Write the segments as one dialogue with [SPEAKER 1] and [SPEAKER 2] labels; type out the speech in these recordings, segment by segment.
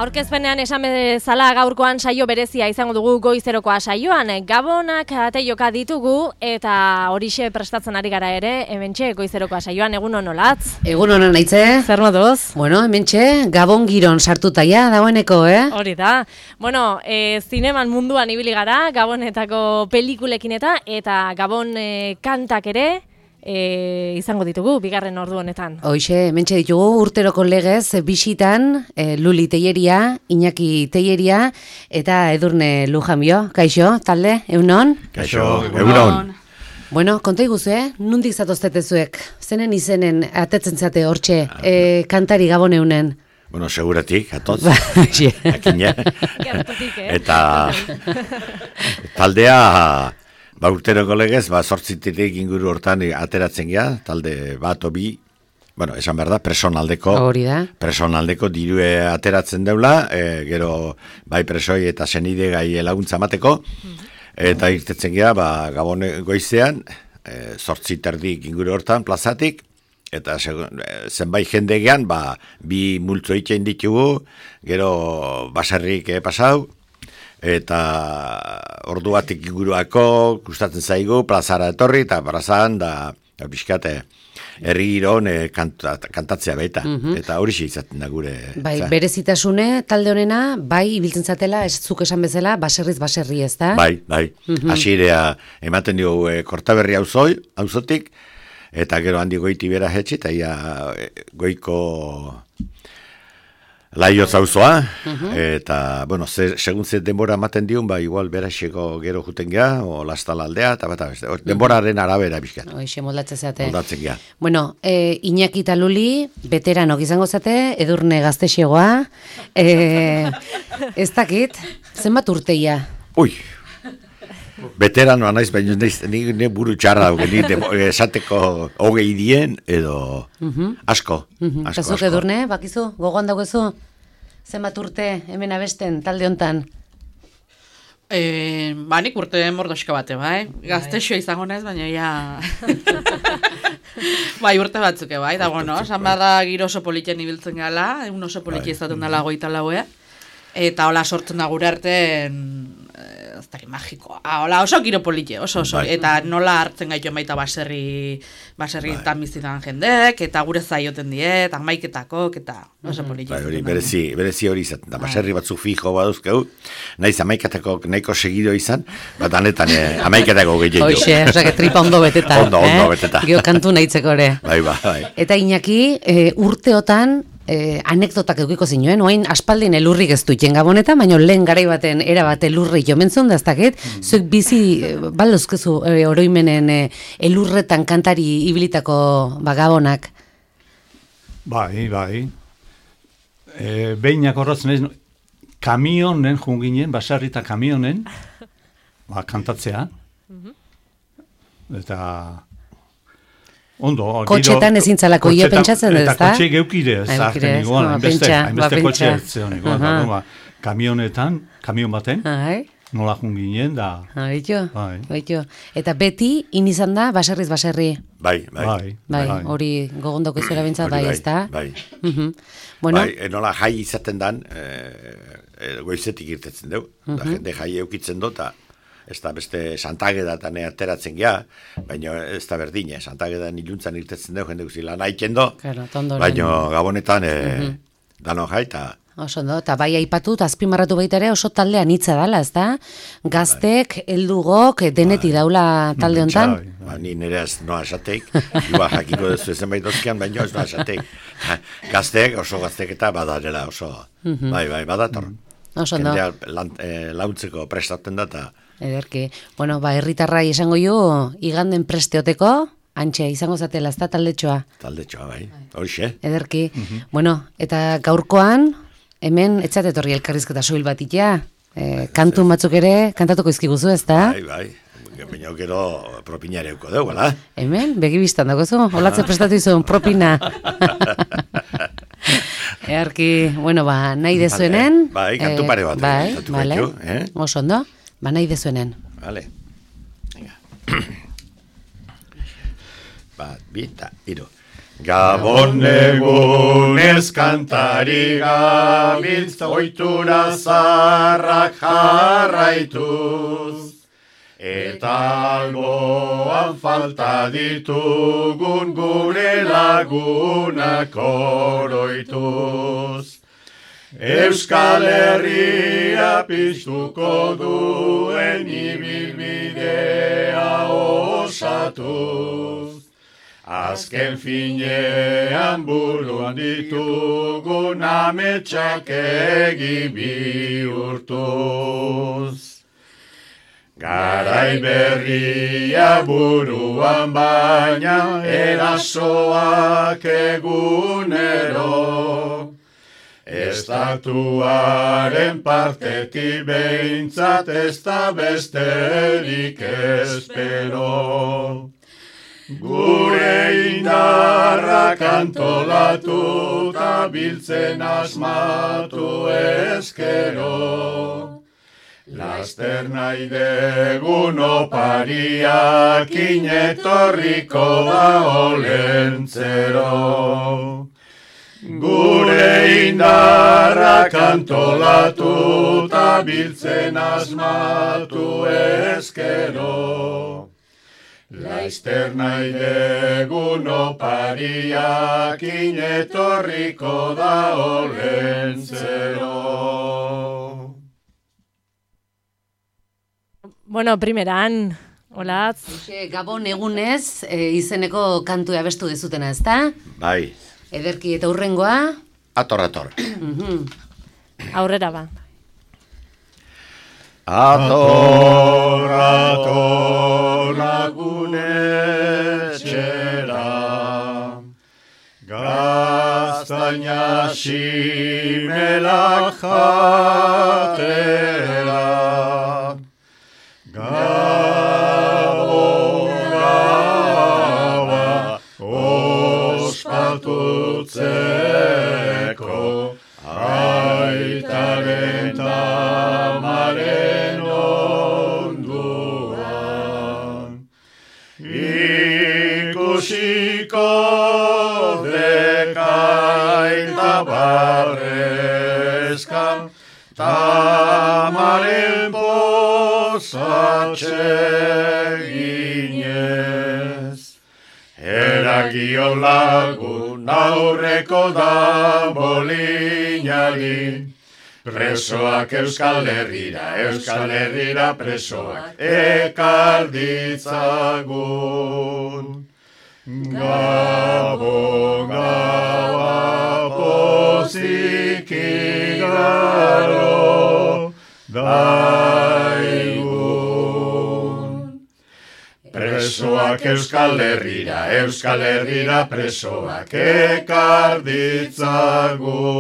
[SPEAKER 1] Aurkezpenean esan bezala gaurkoan saio berezia izango dugu goizerokoa saioan. Gabonak ateioka ditugu eta horixe prestatzen ari gara ere, hementxe goizerokoa saioan. Egunon olatz?
[SPEAKER 2] Egunon naitze.
[SPEAKER 1] Zer moduz?
[SPEAKER 2] Bueno, hementxe Gabon giron sartuta ja dagoeneko,
[SPEAKER 1] Hori da. Bueno, zineman munduan ibili gara, Gabonetako pelikulekin eta Gabon kantak ere, izango ditugu, bigarren ordu honetan.
[SPEAKER 2] Hoixe, hementxe ditugu urteroko legez bisitan Luli Teieria, Iñaki Teieria eta Edurne Lujanbio. Kaixo, talde, egunon?
[SPEAKER 3] Kaixo, egunon.
[SPEAKER 2] Bueno, konta iguzu, nundik zatoztetezuek? Zenen izenen atetzen zate hortxe kantari Gaboneunen?
[SPEAKER 3] Bueno, seguratik, atoz.
[SPEAKER 2] Akina.
[SPEAKER 3] Eta taldea... urteroko legez, zortzitirik inguru hortan ateratzen gea, talde bat obi, bueno, esan behar da, presonaldeko dirue ateratzen deula, gero bai presoi eta senide gai laguntza mateko, eta irtetzen gea, Gabon goizean, zortziterdik inguru hortan, plazatik, eta zenbait jende gean, bi multzo itxein ditugu, gero baserrik pasau, eta ordu batik inguruako gustatzen zaigu plazara etorri eta plazan da pixkate herri giron kantatzea baita. Eta hori izaten da gure.
[SPEAKER 2] Bai, berezitasune talde honena, bai ibiltzen zatela, ez zuk esan bezala, baserriz baserri, ez da?
[SPEAKER 3] Bai. Hasiera ematen dugu Kortaberri auzotik, eta gero handi goiti bera hetxe, eta ia goiko Laio zauzoa, eta, bueno, segun ze denbora ematen diun, igual beraxeko gero juten gea, o lastala aldea, eta beste, denboraren arabera bizkat.
[SPEAKER 2] Hoixe, moldatzen zate.
[SPEAKER 3] Moldatzen gea.
[SPEAKER 2] Bueno, Iñaki eta Luli, veteranok izango zate, Edurne gaztexegoa, ez dakit, zenbat urteia?
[SPEAKER 3] Ui, veteranoa naiz, baina ni buru txarra esateko hogei dien, edo asko.
[SPEAKER 2] Eta zuk Edurne, bakizu, gogoan daugezu, zenbat urte hemen abesten talde hontan?
[SPEAKER 4] Nik urte mordoxka bate, bai? Gaztexoa izango naiz, baina ja... Bai, urte batzuke, bai? Da, bueno, esan bada giro oso politien ibiltzen gala, egun oso politia izaten dela goita laue, eta hola sortzen da gure artean... ez dakit magikoa. Hola, oso giro politie, oso. Eta nola hartzen gaitu baita baserri bizitan jendek, eta gure zaioten diet, amaiketakok, eta oso politie.
[SPEAKER 3] Berezi hori izaten da, baserri batzuk fijo baduzkeu, naiz amaiketakok nahiko segido izan, bat anetan amaiketakok gehiago.
[SPEAKER 2] Hoxe, osake tripa ondo beteta.
[SPEAKER 3] Ondo beteta.
[SPEAKER 2] Gio kantu nahitzeko ere.
[SPEAKER 3] Bai.
[SPEAKER 2] Eta Iñaki, urteotan, anekdotak eukiko zinuen, oain aspaldin elurrik ez duiten Gabonetan, baina lehen garai baten erabate elurri jomentzun daztaket, zuek bizi baldozkezu oroimenen elurretan kantari ibilitako Gabonak.
[SPEAKER 5] Bai. Behinak horratzen ez, kamionen junginen, basarrita kamionen, kantatzea, eta... Ondo,
[SPEAKER 2] kotxetan ezin zalako hio pentsatzen ez da?
[SPEAKER 5] Eta kotxe geukire, zaharten igual, hainbeste kotxe zeon igual, kamionetan, kamion baten, nola junginen da.
[SPEAKER 2] Baitu. Eta beti, inizan da, baserriz baserri.
[SPEAKER 3] Bai.
[SPEAKER 2] Hori gogondoko zera bintzat, bai, ez da?
[SPEAKER 3] Bai. Nola jai izaten dan, goizetik irtetzen deu, da jende jai eukitzen dota, ez da beste Santagedan ateratzen gea, baina ez da berdine, Santagedan iluntzan irtetzen dugu, jende guzti lan haiten do, baina Gabonetan dano jaita.
[SPEAKER 2] Oso ondo, eta bai aipatu, azpimarratu baita ere oso taldean hitza dala, ez da? Gaztek, heldugok, deneti daula talde hontan?
[SPEAKER 3] Ni nire ez noa esateik, iba jakiko dezu ezen bai dozkian, baina ez noa esateik. Gaztek, oso gaztek eta badarela, oso, bai, badator.
[SPEAKER 2] Oso ondo.
[SPEAKER 3] Jendea launtzeko prestatzen da, eta...
[SPEAKER 2] Ederki. Bueno, herritarrai esango jo, iganden presteoteko, antxe, izango zatela, ez da taldetxoa?
[SPEAKER 3] Taldetxoa, bai. Horixe.
[SPEAKER 2] Ederki. Bueno, eta gaurkoan, hemen, etxatetorri elkarrizketa soil bat itea, kantun batzuk ere, kantatuko izkiguzu, ez da?
[SPEAKER 3] Bai. Baina gero propina ere euko dugu, ala?
[SPEAKER 2] Hemen, begibistan dagozu, holatze prestatu izun, propina. Earki, bueno, nahi dezuenen.
[SPEAKER 3] Bai, kantu pare bat.
[SPEAKER 2] Bai, oso ondo. Nahi dezuenen.
[SPEAKER 3] Vale. Venga. Bat, bi, eta, hiru. Gabon egunez kantari gabiltz, oitura zarrak jarraituz. Eta alboan falta ditugun gure lagunak oroituz. Euskal Herria piztuko duen ibilbidea osatuz. Azken finean buruan ditugun ametsak egi bihurtuz. Garai berria buruan baina erasoak egunero. Estatuaren partetik behintzat ez da besterik espero. Gure indarrak antolatu eta biltzen asmatu ezkero. Laster nahi degun opariak inetorriko da olentzero. Gure indarrak antolatu eta biltzen asmatu ezkero. Laster nahi degun opariak inetorriko da olentzero.
[SPEAKER 1] Bueno, primeran, holatz.
[SPEAKER 2] Gabon egunez, izeneko kantua abestu dezutena, ezta?
[SPEAKER 3] Bai.
[SPEAKER 2] Ederki eta hurrengoa?
[SPEAKER 3] Ator.
[SPEAKER 1] Aurrera ba.
[SPEAKER 3] Ator lagunetxera, gaztaina simelak jatera. Gabon gaua ospatutzeko, aitaren tamaren onduan. Ikusiko dekaita barrezka, tamaren posatxeginez. Eragio lagun aurreko da bolinari, presoak Euskal Herrira presoak ekar ditzagun. Gabon gaua pozik igaro daigun. Presoak Euskal Herrira presoak ekar ditzagun.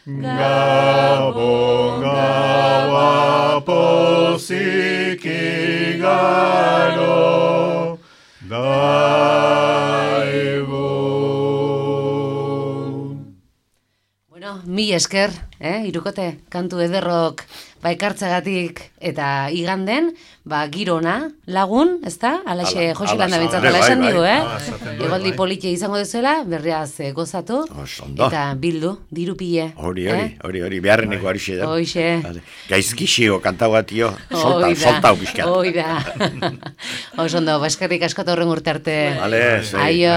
[SPEAKER 3] Gabon gaua pozik igaro daigun.
[SPEAKER 2] Bueno, mi esker, irukote, kantu ederrok ekartzagatik eta iganden, girona lagun, ezta? Alaxe Josilanda bintzatela esan digu, Egoldi politia izango dezuela, berriaz gozatu, eta bildu, dirupile.
[SPEAKER 3] Hori, beharreneko horixe da.
[SPEAKER 2] Hoixe.
[SPEAKER 3] Gaizkixio kantagatio, soltau pixka.
[SPEAKER 2] Oida. Osondo, eskerrik asko eta horren urte arte.
[SPEAKER 3] Aio.